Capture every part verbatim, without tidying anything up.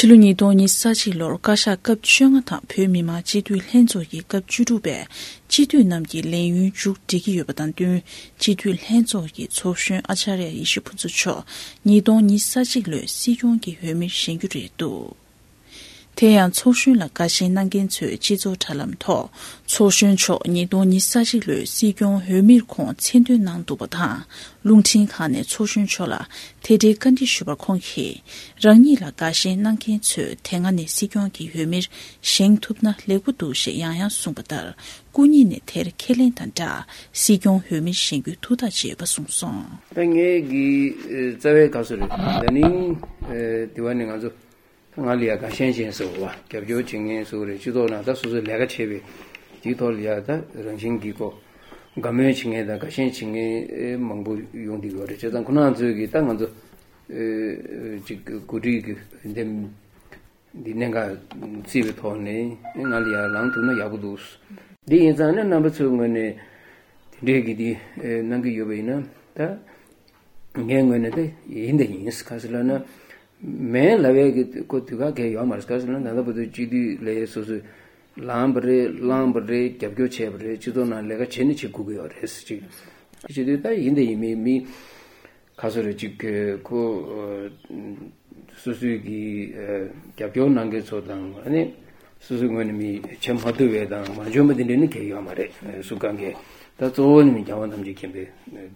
ཕྱི་ལོ་ཉིས་སྟོང་ཉི་ཤུ་རྩ་གཅིག་ལོར་བཀའ་ཤག་སྐབས་བཅོ་ལྔ་དང་བོད་མི་མང་སྤྱི་འཐུས་ལྷན་ཚོགས་ཀྱི་སྐབས་བཅུ་དྲུག་པའི་སྤྱི་འཐུས་རྣམས་ཀྱི་ལས་ཡུན་མཇུག་སྒྲིལ་གྱི་ཡོད་པ་དང་བསྟུན། སྤྱི་འཐུས་ལྷན་ཚོགས་ཀྱི་ཚོགས་གཞོན་ཨ་ཅཱརྱ་ཡེ་ཤེས་ཕུན་ཚོགས་མཆོག་ཉིས་སྟོང་ཉི་ཤུ་རྩ་གཅིག་ལོའི་སྲིད་སྐྱོང་གི་འོས་མིར་བཞེངས་རྒྱུ་རེད་འདུག་དེ་ཡང་ཚོགས་གཞོན་ལ་དགའ་ཞེན་གནང་མཁན་ཚོས་སྤྱི་ཚོགས་དྲ་ལམ་ཐོག་ཚོགས་གཞོན་མཆོག་ཉིས་སྟོང་ཉི་ཤུ་རྩ་གཅིག་ལོའི་སྲིད་སྐྱོང་འོས་མིར་ཁོང་མཚན་འདོན་གནང་འདུག་པ་དང་། རླུང་འཕྲིན་ཁང་ནས་ཚོགས་གཞོན་མཆོག་ལ་དེ་འབྲེལ་བཀའ་འདྲི་ཞུས་པར་ཁོང་གིས། རང་ཉིད་ལ་དགའ་ཞེན་གནང་མཁན་ཚོས་དེ་སྔ་ནས་སྲིད་སྐྱོང་གི་འོས་མིར་བཞེངས་ཐུབ་ན་ལེགས་པོ་འདུག་ཞེས་ཡང་ཡང་གསུངས་པ་ལྟར། སྐུ་ཉིད་ནས་དེར་ཁས་ལེན་དང་སྦྲགས། སྲིད་སྐྱོང་འོས་མིར་བཞེངས་རྒྱུའི་ཐུགས་ཐག་བཅད་པ་གསུངས་སོང་། ད་ངས་ཀྱི་རྩ་བའི་སྐབས་སུ་རེད། ད་ནིང་དེ་བ་ནི་ང་ཚོ་ང་ལ་ཡ་དགའ་ཞེན་ཅན་ཟེར་བ་རྒྱབ་སྐྱོར་བྱེད་མཁན་ཟེར་བ་རེད། སྤྱི་ཚོགས་ནང་ད་སོ་སོའི་ལས་ཀ་བྱེད་པའི་དེའི་ཐོག་ལ་ཡ་ད་རང་བཞིན་གྱི་ཁོ་དགའ་མོས་བྱེད་མཁན་དང་དགའ་ཞེན་བྱེད་མཁན་མང་པོ་ཡོང་བསྡད་ཡོད་རེད། བྱས་ཙང་ཁོ་རང་ཚོས་ཀྱི་ད་ང་ཚོ་ཅིག་འགོ་ཁྲིད་ཀྱི་འདེམས་འདི་གནད་འགག་བརྩིས་པའི་ཐོག་ནས་ང་ལ་ཡ་ལངས་ཐུབ་ན་ཡག་པོ་འདུག་འདི་ཡིན་ཙང་ནི་རྣམ་པ་ཚོའི་ངོས་ནས་དེ་འདྲས་ཀྱི་འདི་གནང་གི་ཡོད་པ་ཡིན་ན་ད། ངའི་ངོས་ནས་དེ་ཡིན་དེ་ཡིན། ག་ཟེར་ལབ་ན། མེད་ལབ་ཡས་ཀྱི་ཁོ་དུས་ཁ་གས་ཡོད་མ་རེད། ག་ཟེར་ན་ད་ལྟ་བར་དུ་སྤྱི་འཐུས་ལས་སོ་སོས་ལངས་པ་རེད། བླངས་པ་རེད། རྒྱབ་སྐྱོར་བྱས་པ་རེད། སྤྱི་ཚོགས་ནང་ལས་ཀ་བྱེད་ནི་བྱེད་དགོས་ཀྱི་ཡོད་རེད་ཟེར་ཅིག་བྱེད་དུས་ད་ཡིན་དེ་ཡིན་མི་མི་ག་ཚོད་རེད་ཅིག་ཁོ་སོ་སོའི་གི་རྒྱབ་སྐྱོར་གནང་མཁན་ཚོ་དང་ཨ་ནི་སོ་སོའི་ངོས་ནས་མི་བྱེད་མ་ཐུབ་པའི་དང་མ་འཇོན་པ་དེ་འདྲ་ནི་གས་ཡོད་མ་རེད། སུ་གང་གས་ད་གཙོ་བོ་ནི་མི་རྒྱལ་བ་ཐམས་ཅད་མཁྱེན་པའི་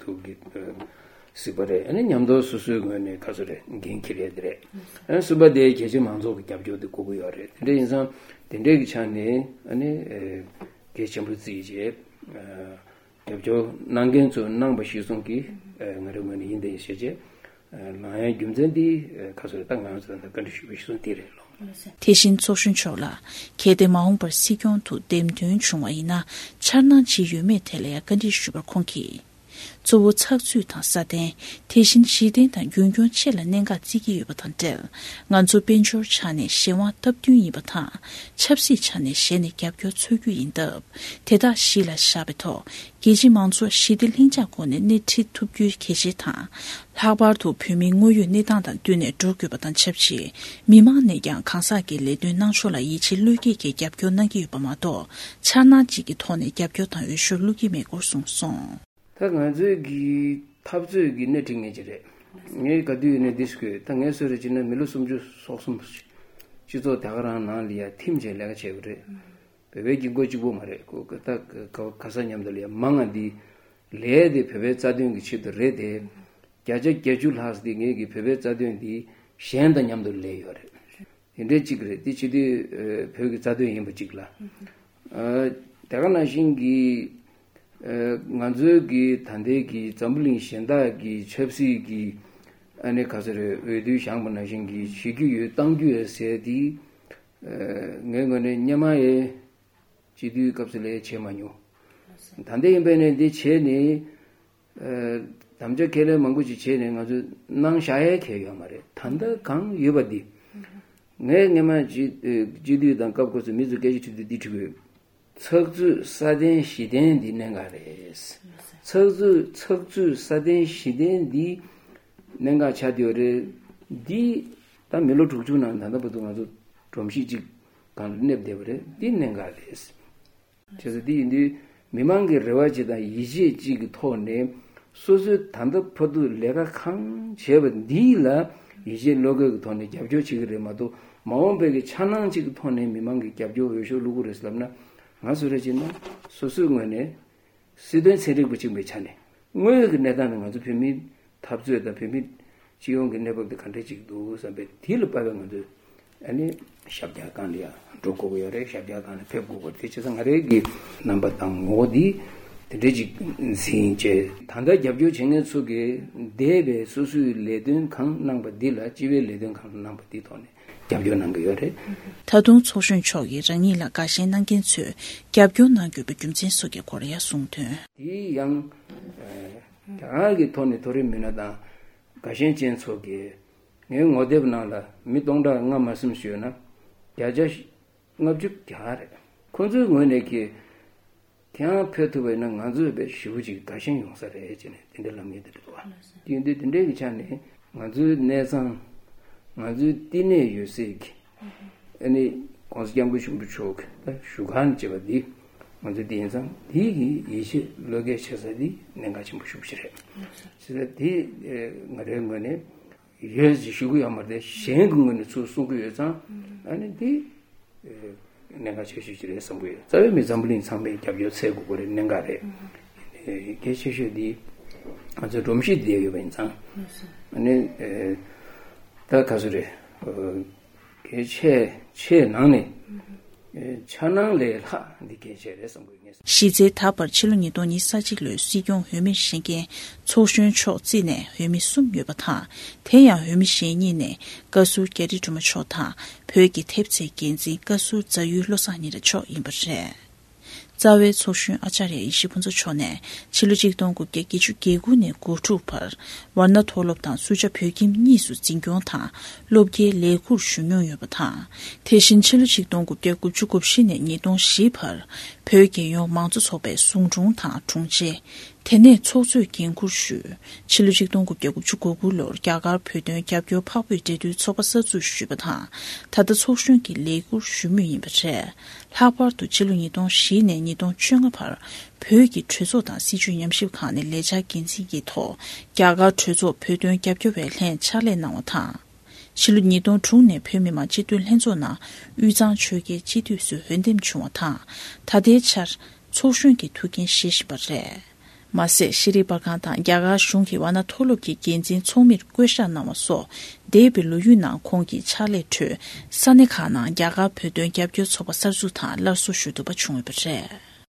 ཐུགས་ཀྱི། སྲིད་པ་རེད། ཨ་ནི་མཉམ་དུ་སོ་སོའི་ངོས་ནས་ག་ཚོད་རེད་འགན་འཁྱེར་ཡས་དེ་རེད། ཨ་ནི་གསུམ་པ་དེ་རྒྱ་ཆེ་མང་ཚོགས་ཀྱི་རྒྱབ་སྐྱོར་དེ་དགོས་ཀྱི་ཡོད་རེད། དེ་འདྲ་ཡིན་ཙང་དེ་འདྲའི་གི་ཆ་ནས་ཨ་ནི་གལ་ཆེན་པོ་བརྩིས་བྱས་རྒྱབ་སྐྱོར་གནང་མཁན་ཚོས་གནང་པ་གཞིར་བཟུང་གིས་ང་རའི་ངོས་ནས་ཡིན་དེ་བྱས་བྱས་ལངས་ཡས་རྒྱུ་མཚན་འདི་ག་ཚོད་རེད། ད་ང་རང་ཚོ་ད་བཀའ་འདྲི་ཞུས་པ་གཞིར་བཟུང་དེ་རེད་ལོ། དེ་བཞིན་ཚོགས་གཞོན་མཆོག་ལ་གལ་ཏེ་མ་འོངས་པར་སྲིད་སྐྱོང་དུ་འདེམས་ཐོན་བྱུང་བ་ཡིན་ན་འཆར་སྣང་ཅི་ཡོད་མེད་ཐད་ལ་ཡང་བཀའ་འདྲི་ཞུས་པར་ཁོང་གིས། གཙོ་བོ་ཚགས་ཚུད་དང་སྲ་བརྟན། དེ་བཞིན་གཞི་རྟེན་དང་རྒྱུན་སྐྱོང་བཅས་ལ་གནད་འགག་བརྩི་གི་ཡོད་པ་དང་འབྲེལ། ང་ཚོ་དཔལ་འབྱོར་ཆ་ནས་གཞན་དབང་སྟབས་བསྟུན་ཡིན་པ་དང་། ཆབ་སྲིད་ཆ་ནས་གཞན་ནས་རྒྱབ་སྐྱོར་འཚོལ་རྒྱུ་ཡིན་སྟབས། དེ་དག་གཞི་ལ་བཞག་པའི་ཐོག་རྒྱལ་སྤྱི་མང་ཚོགས་ཞི་བདེ་ལྷིང་འཇགས་སྒོ་ནས་སྣེ་ཁྲིད་ཐུབ་རྒྱུའི་གལ་ཆེ་དང་། ལྷག་པར་དུ་བོད་མིའི་དངོས་ཡོད་གནས་སྟངས་དང་བསྟུན་ནས་འགྲོ་དགོས་པ་དང་ཆབས་ཅིག་མི་མང་ནས་ཀྱང་གང་ཟག་གི་ལས་དོན་གནང་ཕྱོགས་ལ་ཡིད་ཆེས་བློས་འགེལ་གྱིས་རྒྱབ་སྐྱོར་གནང་གི་ཡོད་པ་མ་གཏོགས། འཆར་སྣང་གཅིག་གི་ཐོག་ནས་རྒྱབ་སྐྱོར་དང་འོས་ཤོག་བླུག་གི་མེད་སྐོར་གསུངས་སོང་། ད་ང་ཚོའི་གི་འཐབ་རྩོད་ཀྱི་སྣེ་ཁྲིད་མཁན་ཅིག་རེད། ངས་ག་དུས་ཡིན་ནའི་འདི་ཞུ་དགོས། ད་ངས་སུ་རེད་ཅེ་ན་མི་ལོ་སུམ་ཅུ་སོ་གསུམ་སྤྱི་ཚོགས་ད་ག་རང་ནང་ལ་ཡ་ཐིམ་བྱས་ལས་ཀ་བྱས་པ་རེད། བོད་པའི་དཀྱིལ་འཁོར་གཅིག་པོ་མ་རེད། ཁོ་ད་ག་ག་ས་མཉམ་དུ་ལ་ཡ་མང་ང་འདི་ལས་དེ་བོད་པའི་རྩ་དོན་གྱི་ཆེད་དུ་རེད་དེ། བརྒྱ་ཆ་བརྒྱད་ཅུ་ལྷག་ཙམ་འདི་ངས་གི་བོད་པའི་རྩ་དོན་འདི་གཞན་དང་མཉམ་དུ་ལས་ཡོད་རེད། དེ་འདྲའི་གཅིག་རེད། དེ་སྤྱི་འཐུས་བོད་ཀྱི་རྩ་དོན་ཡིན་པ་གཅིག་ལ། དེ་ག་ནང་བཞིན་གྱི་ང་ཚོའི་གི་ད་ལྟའི་གི་འཛམ་བུ་གླིང་གཞན་དག་གི་ཆབ་སྲིད་ཀྱི་ཨ་ནི་ག་ཚོད་རེད། འོས་བསྡུ་བཞེངས་པ་ནང་བཞིན་གྱི་བྱེད་རྒྱུ་ཡོད་གཏང་རྒྱུ་ཡོད་ཟེར་དེ་ངའི་ངོས་ནས་སྔོན་མ་ཡི་སྤྱི་འཐུས་སྐབས་སུ་ལས་བྱས་མ་མྱོང་། ད་ལྟ་ཡིན་པས་ནས་འདི་བྱས་ནས། དམ་བཅའ་ཁས་ལེན་མང་པོ་ཞིག་བྱས་ནས་ང་ཚོས་གནང་བཞག་ཡས་ཁེལ་ཡོད་མ་རེད། ད་ལྟ་གང་ཡོད་པ་འདི། ངས་སྔོན་མ་སྤྱི་སྤྱི་འཐུས་དང་སྐབས་སྐབས་སུ་མི་ཚོ་སྐད་ཆ་དྲིས་དུས་འདི་དྲི་དགོས། ཚགས་ཚུད་སྲ་བརྟན་གཞི་རྟེན་འདི་གནད་འགག་རེད། ཚགས་ཚུད་ཚགས་ཚུད་སྲ་བརྟན་གཞི་རྟེན་འདི་གནད་འགག་ཆགས་བསྡད་ཡོད་རེད། འདི་ད་མི་ལོ་དྲུག་ཅུ་ནང་ད་ལྟ་བར་དུ་ང་ཚོ་སྒྲོམ་གཞི་གཅིག་སྒང་ལ་གནས་བསྡད་པ་རེད། འདི་གནད་འགག་རེད། བྱས་ཙང་འདི་ཡིན་དུས་མི་མང་གི་རེ་བ་གཅིག་དང་ཡིད་ཆེས་གཅིག་གི་ཐོག་ནས་སོ་སོའི་ད་ལྟ་བར་དུ་ལས་ཀ་གང་བྱས་པ་འདི་ལ་ཡིད་ཆེས་བློ་འགེལ་གྱི་ཐོག་ནས་རྒྱབ་སྐྱོར་བྱེད་ཀྱི་རེད་མ་གཏོགས། མ་འོངས་པའི་གི་འཆར་སྣང་གཅིག་གི་ཐོག་ནས་མི་མང་གི་རྒྱབ་སྐྱོར་འོས་ཤོག་བླུག་གི་རེད་ཟེར་ལབ་ན། ང་སུ་རེད་ཅེ་ན་སོ་སོའི་ངོས་ནས་སྲིད་དོན་ཚན་རིག་པ་གཅིག་པའི་ཆ་ནས་དངོས་ཡོད་ཀྱི་གནས་སྟངས་ནི་ང་ཚོ་བོད་མིའི་འཐབ་རྩོད་དང་བོད་མི་སྤྱི་ཡོངས་ཀྱི་གནས་བབ་དེ་ག་འདྲ་ཅིག་འདུག་བསམ་པའི་དེ་ལ་དཔག་པའི་ང་ཚོས་ཨ་ནི་ཞབས་བཀྱག་སྒང་ལ་ཡང་འགྲོ་དགོས་ཀྱི་ཡོད་རེད། ཞབས་བཀྱག་སྒང་ལ་ཕེབས་དགོས་ཀྱི་རེད། དེ་བྱས་ཙང་ང་རའི་གི་རྣམ་པ་དང་ངོ་བོ་འདི་དེ་འདྲ་ཅིག་འཛིན་བྱས། ད་ལྟ་རྒྱབ་སྐྱོར་བྱེད་མཁན་ཚོ་གིས་འདས་པའི་སོ་སོའི་ལས་དོན་གང་གནང་པ་འདི་ལ་སྤྱི་པའི་ལས་དོན་གང་གནང་པ་འདི་ཐོག་ནས་རྒྱབ་སྐྱོར་གནང་གི་ཡོད་རེད། ད་དུང་ཚོགས་གཞོན་མཆོག་གིས་རང་ཉིད་ལ་དགའ་ཞེན་གནང་མཁན་ཚོས་རྒྱབ་སྐྱོར་གནང་དགོས་པའི་རྒྱུ་མཚན་སོགས་ཀྱི་སྐོར་ཡང་གསུངས་དོན། དེ་ཡང་རང་གི་ཐོག་ནས་མཐོ་རིམ་མི་སྣ་དང་དགའ་ཞེན་ཅན་ཚོ་གིས་ངའི་ངོ་དེབ་ནང་ལ་མི་སྟོང་ཕྲག་ལྔ་མ་ཟིན་ཞུས་ན་བརྒྱ་ཆ་ལྔ་བཅུ་གྱ་རེད། ཁོ་ཚོའི་ངོས་ནས་ཀྱི་དེའང་ཕེབས་ཐུབ་པ་ཡིན་ན་ང་ཚོས་དཔེ་ཞེ་པོ་ཅིག་དགའ་ཞེན་ཡོང་ས་རེད་ཅེས་ནས་དེ་འདྲ་ལབ་མཁན་དེ་འདྲ་འདུག་བ། དེ་ཡིན་དུས་དེ་འདྲའི་གི་ཆ་ནས་ང་ཚོའི་གནས་ཚང་ ང་ཚོའི་བསྟི་གནས་ཡོད་སའི་གི་ཨ་ནི་༸གོང་ས་༸སྐྱབས་མགོན་ཆེན་པོ་མཆོག་གི་ད་བཞུགས་ཁང་བཅས་པ་འདི་ང་ཚོའི་འདི་ཡིན་ཙང་འདི་གི་ཡིད་ཆེས་བློ་འགེལ་བྱེད་ས་འདི་གནད་འགག་ཆེན་པོ་ཤུགས་ཆེ་རེད། བྱས་ཙང་འདི་ང་རའི་ངོས་ནས་ཡོད་ཅེས་ཞུ་གི་ཡོད་མ་རེད། གཞན་གྱི་ངོས་ནས་ཚུར་གསུང་གི་ཡོད་ཙང་ཨ་ནི་འདི་གནད་འགག་ཆེ་ཤོས་ཅིག་རེད་བསམ་གི་ཡོད། རྩ་བའི་མི་འཛམ་བུ་གླིང་ཚང་མས་རྒྱབ་སྐྱོར་འཚོལ་དགོས་པ་རེད། གནད་འགག་རེད། གལ་ཆེ་ཤོས་འདི་ང་ཚོའི་སྒྲོམ་གཞི་འདི་ཡོད་པ་ཡིན་ཙང་ཨ་ནི་ད་ག་ཚོད་རེད། གལ་ཆེ་ཆེ་ནང་ནས་འཆར་སྣང་ལས་ལྷག་འདི་གལ་ཆེ་རེད་བསམ་གི་ཡོད། ངས་གཞི་རྩའི་ད་བར་ཕྱི་ལོ་ཉིས་སྟོང་ཉི་ཤུ་རྩ་གཅིག་ལོའི་སྲིད་སྐྱོང་འོས་མིར་བཞེངས་མཁན་ཚོགས་གཞོན་མཆོག་བརྩིས་ནས་འོས་མི་གསུམ་ཡོད་པ་དང་། དེ་ཡང་འོས་མི་གཞན་གཉིས་ནས་བཀའ་ཟུར་རྒྱ་རི་སྒྲོལ་མ་མཆོག་དང་བོད་ཀྱི་ཐེབས་རྩའི་འགན་འཛིན་བཀའ་ཟུར་རྫ་ཡུལ་བློ་བཟང་ཉི་ར་མཆོག་ཡིན་པ་རེད། རྩ་བའི་ཚོགས་གཞོན་ཨ་ཅཱརྱ་ཡེ་ཤེས་ཕུན་ཚོགས་མཆོག་ནས་ཕྱི་ལོ་ཆིག་སྟོང་དགུ་བརྒྱ་བརྒྱད་ཅུ་གྱ་དགུ་ནས་གོ་དྲུག་བར་ཝཱ་ཎ་མཐོ་སློབ་དང་སུ་ཇཱ་བོད་ཁྱིམ་གཉིས་སུ་འཛིན་སྐྱོང་དང་སློབ་དགེའི་ལས་ཁུར་ཞུ་མྱོང་ཡོད་པ་དང་། དེ་བཞིན་ཕྱི་ལོ་ཆིག་སྟོང་དགུ་བརྒྱ་དགུ་བཅུ་གོ་བཞི་ནས་ཉིས་སྟོང་བཞི་བར་བོད་རྒྱལ་ཡོངས་མང་གཙོ་ཚོགས་པའི་ཟུང་དྲུང་དང་དྲུང་ཆེ། དེ་ནས་ཚོགས་གཙོས་འགན་འཁུར་ཞུས། ཕྱི་ལོ་ཆིག་སྟོང་དགུ་བརྒྱ་དགུ་བཅུ་གོ་དགུ་ལོར་རྒྱ་གར་བོད་དོན་རྒྱབ་སྐྱོར་འཕགས་བོད་འབྲེལ་མཐུད་ཚོགས་པ་གསར་འཛུགས་ཞུས་པ་དང་། ད་ལྟ་ཚོགས་གཞོན་གྱི་ལས་ཁུར་ཞུ་མུས་ཡིན་པ་རེད། ལྷག་པར་དུ་ཕྱི་ལོ་ཉིས་སྟོང་བཞི་ནས་ཉིས་སྟོང་བཅོ་ལྔ་བར་བོད་ཀྱི་གྲོས་ཚོགས་དང་སྲིད་བྱུས་ཉམས་ཞིབ་ཁང་ནས་ལས་འཆར་འགན་འཛིན་གྱི་ཐོག་རྒྱ་གར་གྲོས་ཚོགས་བོད་དོན་རྒྱབ་སྐྱོར་བའི་ལྷན་ཕྱག་ལས་གནང་བ་དང་། ཕྱི་ལོ་ཉིས་སྟོང་དྲུག་ནས་བོད་མི་མང་སྤྱི་འཐུས་ལྷན་ཚོགས་ནང་དབུས་གཙང་ཆོལ་ཁའི་སྤྱི་འཐུས་སུ་འོས་འདེམས་བྱུང་བ་དང་། ད་ལྟའི་ཆར་ཚོགས་གཞོན་གྱི་ཐུགས་འགན་བཞེས་བཞིན་པ་རེད། མ་ཟད་ཤེས་རིག་པར་ཁང་དང་རྒྱ་གར་གཞུང་གི་ཝཱ་ཎ་མཐོ་སློབ་ཀྱི་འགན་འཛིན་ཚོགས་མིར་བསྐོ་གཞག་གནང་བ་སོགས་འདས་པའི་ལོ་རྒྱུས་ནང་ཁོང་གི་ཕྱག་ལས་ཁྲོད་ས་གནས་ཁག་ནང་རྒྱ་གར་བོད་དོན་རྒྱབ་སྐྱོར་ཚོགས་པ་གསར་འཛུགས་དང་སླར་གསོ་ཞུ་ཐུབ་པ་བྱུང་ཡོད་པ་རེད།